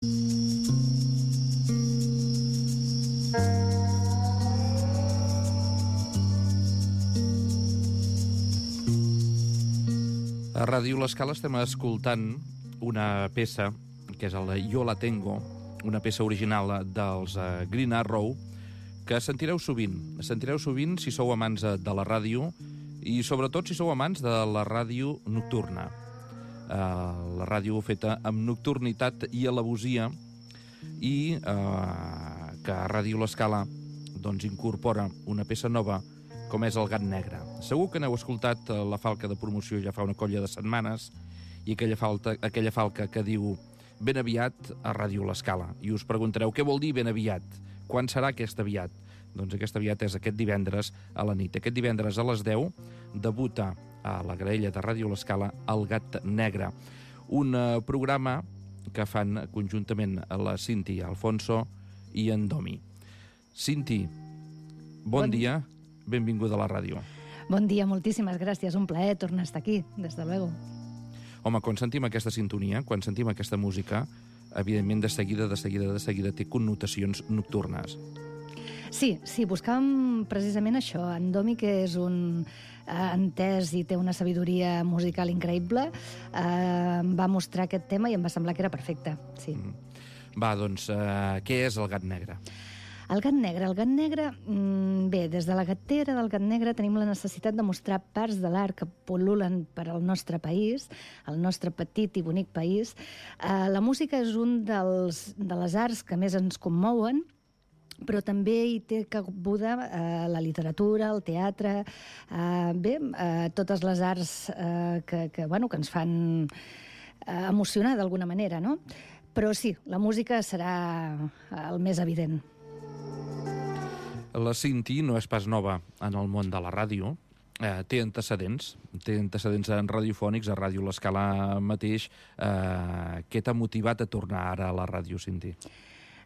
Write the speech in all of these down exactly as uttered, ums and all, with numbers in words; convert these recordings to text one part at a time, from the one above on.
A Ràdio L'Escala estem escoltant una peça que és el Jo la tengo, una peça original dels uh, Green Arrow, que sentireu sovint. Sentireu sovint si sou amants de la ràdio i sobretot si sou amants de la ràdio nocturna. Uh, la ràdio feta amb nocturnitat i alevosia i uh, que a Ràdio L'Escala doncs, incorpora una peça nova com és el Gat Negre. Segur que n'heu escoltat la falca de promoció ja fa una colla de setmanes i aquella, falta, aquella falca que diu ben aviat a Ràdio L'Escala. I us preguntareu què vol dir ben aviat? Quan serà aquest aviat? Doncs aquest aviat és aquest divendres a la nit. Aquest divendres a les deu debuta a la graella de Ràdio L'Escala el Gat Negre, un uh, programa que fan conjuntament la Cinti Alfonso i en Domi. Cinti, bon, bon dia. Benvinguda a la ràdio. Bon dia, moltíssimes gràcies. Un plaer tornar a estar aquí, des de luego. Home, quan sentim aquesta sintonia, quan sentim aquesta música, evidentment de seguida, de seguida, de seguida té connotacions nocturnes. Sí, sí, buscàvem precisament això. En Domi, que és un eh, entès i té una sabidoria musical increïble, eh, em va mostrar aquest tema i em va semblar que era perfecte, sí. Mm. Va, doncs, eh, què és el Gat Negre? El Gat Negre. El Gat Negre, bé, des de la gatera del Gat Negre tenim la necessitat de mostrar parts de l'art que pol·lulen per al nostre país, el nostre petit i bonic país. Eh, la música és un dels, de les arts que més ens commouen, però també hi té cabuda eh, la literatura, el teatre, eh, bé, eh, totes les arts eh, que, que, bueno, que ens fan eh, emocionar d'alguna manera, no? Però sí, la música serà el més evident. La Cinti no és pas nova en el món de la ràdio, eh, té antecedents, té antecedents en radiofònics, a Ràdio L'Escala mateix. Eh, què t'ha motivat a tornar ara a la ràdio, Cinti?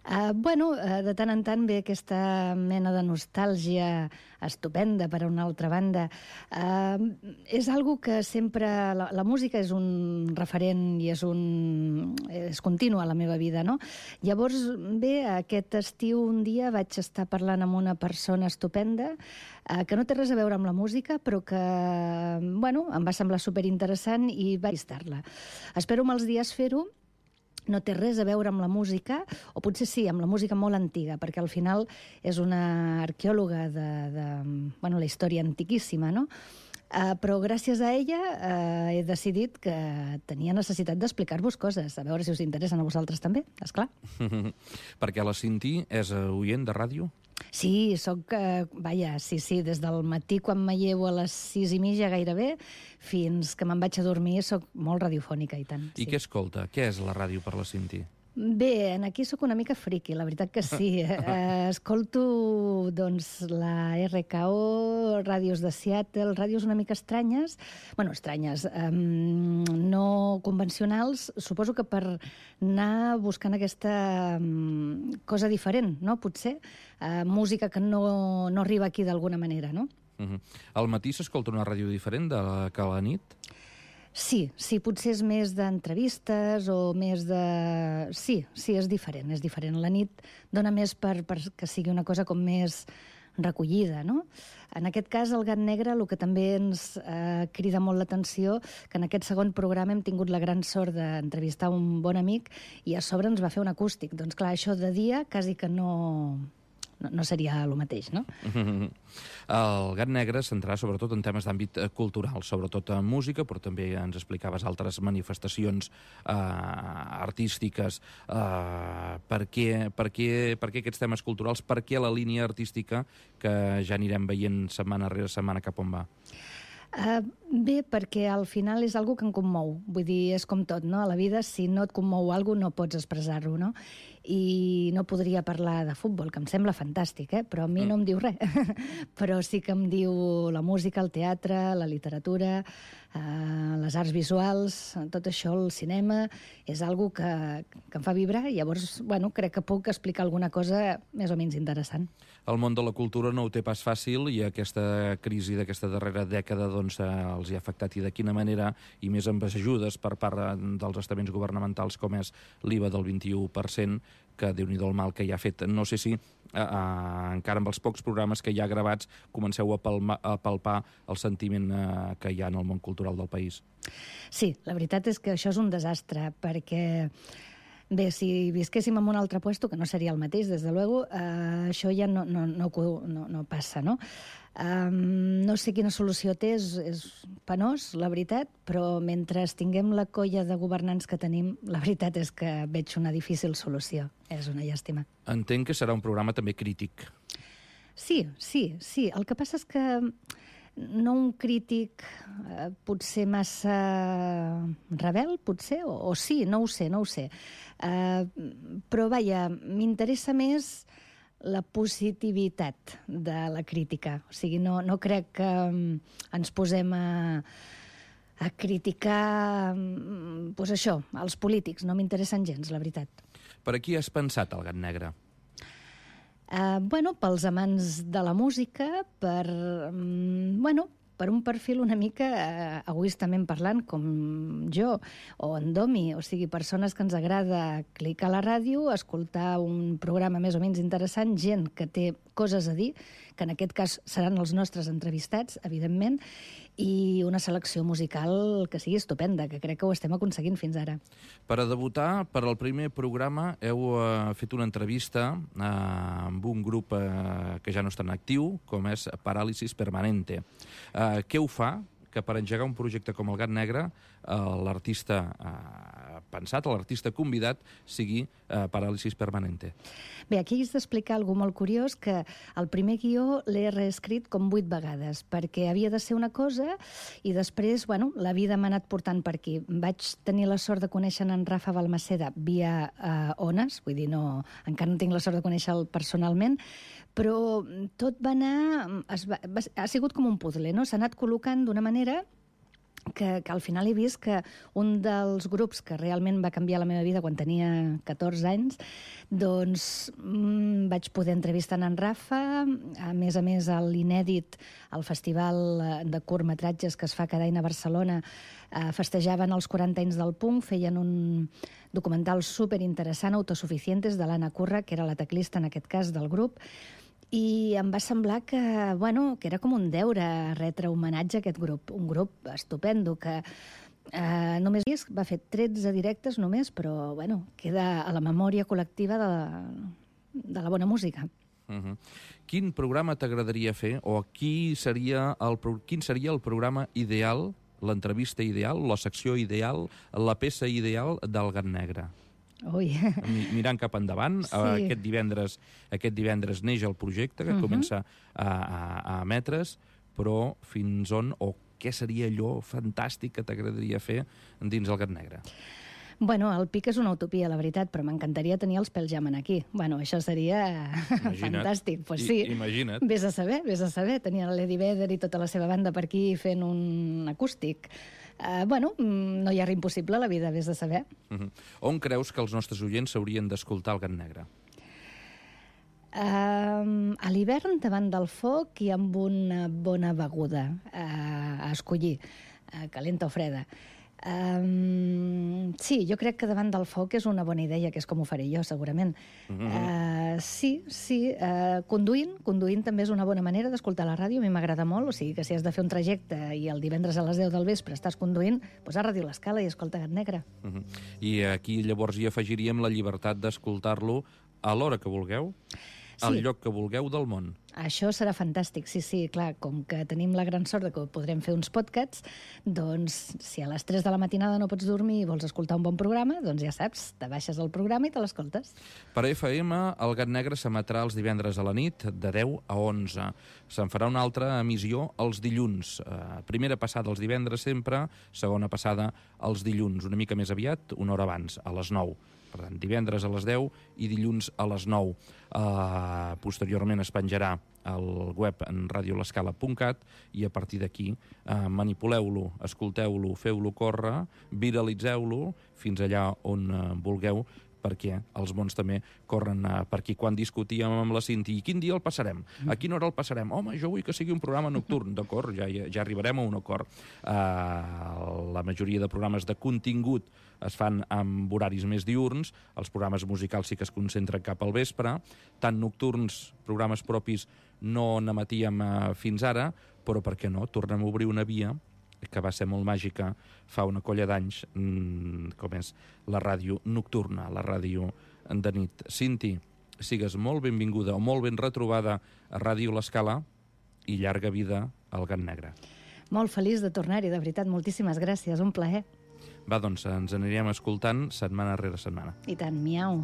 Uh, bueno, uh, de tant en tant ve aquesta mena de nostàlgia estupenda, per a una altra banda. Uh, és algo que sempre... La, la música és un referent i és un... és continu a la meva vida, no? Llavors, bé, aquest estiu un dia vaig estar parlant amb una persona estupenda uh, que no té res a veure amb la música, però que, bueno, em va semblar superinteressant i vaig estar-la. Espero molts dies fer-ho. No té res a veure amb la música, o potser sí, amb la música molt antiga, perquè al final és una arqueòloga de, de bueno, la història antiquíssima, no? Uh, però gràcies a ella uh, he decidit que tenia necessitat d'explicar-vos coses, a veure si us interessen a vosaltres també, esclar. Perquè la Cinti és oient de ràdio? Sí, soc, eh, vaja, sí, sí, des del matí quan me llevo a les sis i mitja gairebé fins que me'n vaig a dormir soc molt radiofònica i tant. I sí. Què escolta? Què és la ràdio per la Cinti? Bé, aquí sóc una mica friqui, la veritat que sí. Eh, escolto, doncs, la R K O, ràdios de Seattle, ràdios una mica estranyes, bueno, estranyes, eh, no convencionals, suposo que per anar buscant aquesta um, cosa diferent, no?, potser, eh, música que no, no arriba aquí d'alguna manera, no? Uh-huh. Al matí s'escolta una ràdio diferent de la que a la nit? Sí, sí, potser és més d'entrevistes o més de... Sí, sí, és diferent, és diferent. La nit dona més per, per que sigui una cosa com més recollida, no? En aquest cas, el Gat Negre, el que també ens eh, crida molt l'atenció, que en aquest segon programa hem tingut la gran sort d'entrevistar un bon amic i a sobre ens va fer un acústic. Doncs clar, això de dia quasi que no... No, no seria el mateix, no? El Gat Negre es centrarà sobretot en temes d'àmbit cultural, sobretot en música, però també ens explicaves altres manifestacions eh, artístiques. Eh, per, què, per, què, per què aquests temes culturals? Per què la línia artística que ja anirem veient setmana rere setmana cap on va? Uh, bé, perquè al final és algo que em commou. Vull dir, és com tot, no? A la vida, si no et commou alguna cosa, no pots expressar-ho, no? I no podria parlar de futbol, que em sembla fantàstic, eh? Però a mi mm. no em diu res. Però sí que em diu la música, el teatre, la literatura, uh, les arts visuals, tot això, el cinema, és algo que, que em fa vibrar i llavors, bueno, crec que puc explicar alguna cosa més o menys interessant. El món de la cultura no ho té pas fàcil i aquesta crisi d'aquesta darrera dècada, doncs, doncs, eh, els hi ha afectat i de quina manera, i més amb ajudes per part dels estaments governamentals com és l'I V A del vint-i-u per cent, que Déu-n'hi-do el mal que hi ha fet. No sé si eh, eh, encara amb els pocs programes que hi ha gravats comenceu a, palma, a palpar el sentiment eh, que hi ha en el món cultural del país. Sí, la veritat és que això és un desastre, perquè bé, si visquéssim en un altre puesto, que no seria el mateix, des de luego, eh, això ja no, no, no, no, no passa, no? Um, no sé quina solució té, és, és penós, la veritat, però mentre tinguem la colla de governants que tenim, la veritat és que veig una difícil solució. És una llàstima. Entenc que serà un programa també crític. Sí, sí, sí. El que passa és que no un crític eh, potser massa rebel, potser, o, o sí, no ho sé, no ho sé. Eh, però, vaja, m'interessa més la positivitat de la crítica. O sigui, no, no crec que um, ens posem a, a criticar pues això, els polítics. No m'interessen gens, la veritat. Per a qui has pensat el Gat Negre? Uh, bueno, pels amants de la música, per, um, bueno, per un perfil una mica uh, egoistament parlant, com jo, o en Domi, o sigui, persones que ens agrada clicar a la ràdio, escoltar un programa més o menys interessant, gent que té coses a dir, que en aquest cas seran els nostres entrevistats, evidentment, i una selecció musical que sigui estupenda, que crec que ho estem aconseguint fins ara. Per a debutar, per al primer programa, heu uh, fet una entrevista uh, amb un grup uh, que ja no està en actiu, com és Parálisis Permanente. Uh, què ho fa que per engegar un projecte com el Gat Negre, uh, l'artista uh, pensat, l'artista convidat, sigui uh, Parálisis Permanente? Bé, aquí has d'explicar alguna cosa molt curiós, que el primer guió l'he reescrit com vuit vegades, perquè havia de ser una cosa i després, bueno, la vida m'ha anat portant per aquí. Vaig tenir la sort de conèixer en Rafa Balmaceda via uh, ones, vull dir, no, encara no tinc la sort de conèixer-lo personalment, però tot va anar... Es va, va, ha sigut com un puzzle, no? S'ha anat col·locant d'una manera que, que al final he vist que un dels grups que realment va canviar la meva vida quan tenia catorze anys, doncs mmm, vaig poder entrevistar en Rafa, a més a més a l'Inèdit, al festival de curtmetratges que es fa cada any a Barcelona, eh, festejaven els quaranta anys del punk, feien un documental superinteressant, Autosuficientes, de l'Anna Curra, que era la teclista en aquest cas del grup, i em va semblar que, bueno, que era com un deure retre homenatge a aquest grup, un grup estupendo que eh, només va fer tretze directes només, però bueno, queda a la memòria col·lectiva de la, de la bona música. Uh-huh. Quin programa t'agradaria fer, o qui seria el, quin seria el programa ideal, l'entrevista ideal, la secció ideal, la peça ideal del Gat Negre? Ui. Mirant cap endavant, sí. aquest divendres aquest divendres neix el projecte, que uh-huh. comença a, a, a emetre's, però fins on, o què seria allò fantàstic que t'agradaria fer dins el Gat Negre? Bueno, el pic és una utopia, la veritat, però m'encantaria tenir els pèls Jam aquí. Bueno, això seria imagina't. Fantàstic. Pues sí, I, imagina't. Vés a saber, vés a saber. Tenia l'Eddie Vedder i tota la seva banda per aquí fent un acústic. Uh, bueno, no hi ha res impossible a la vida, vés a saber. Uh-huh. On creus que els nostres oients s'haurien d'escoltar el Gat Negre? Uh, a l'hivern, davant del foc i amb una bona beguda uh, a escollir, uh, calenta o freda. Um, sí, jo crec que davant del foc és una bona idea, que és com ho faré jo, segurament. Mm-hmm. uh, sí, sí, uh, conduint, conduint també és una bona manera d'escoltar la ràdio, a mi m'agrada molt, o sigui que si has de fer un trajecte i el divendres a les deu del vespre estàs conduint, doncs a Ràdio L'Escala i escolta Gat Negre. Mm-hmm. I aquí llavors hi afegiríem la llibertat d'escoltar-lo a l'hora que vulgueu, al sí. lloc que vulgueu del món. Això serà fantàstic, sí, sí, clar, com que tenim la gran sort de que podrem fer uns podcasts, doncs si a les tres de la matinada no pots dormir i vols escoltar un bon programa, doncs ja saps, te baixes el programa i te l'escoltes. Per F M, el Gat Negre s'emetrà els divendres a la nit, de deu a onze. Se'n farà una altra emissió els dilluns. Eh, primera passada els divendres sempre, segona passada els dilluns, una mica més aviat, una hora abans, a les nou. Per tant, divendres a les deu i dilluns a les nou. Uh, posteriorment es penjarà al web en radio l'escala punt cat i a partir d'aquí uh, manipuleu-lo, escolteu-lo, feu-lo córrer, viralitzeu-lo fins allà on uh, vulgueu, perquè els mons també corren uh, per aquí. Quan discutíem amb la Cinti, quin dia el passarem? A quina hora el passarem? Home, jo vull que sigui un programa nocturn. D'acord, ja, ja arribarem a un acord. Uh, la majoria de programes de contingut es fan amb horaris més diurns, els programes musicals sí que es concentren cap al vespre, tant nocturns, programes propis, no n'emetíem uh, fins ara, però per què no? Tornem a obrir una via que va ser molt màgica fa una colla d'anys, mmm, com és la ràdio nocturna, la ràdio de nit. Cinti, sigues molt benvinguda o molt ben retrobada a Ràdio L'Escala i llarga vida al Gat Negre. Molt feliç de tornar-hi, de veritat, moltíssimes gràcies, un plaer. Va, doncs, ens anirem escoltant setmana rere setmana. I tant, miau.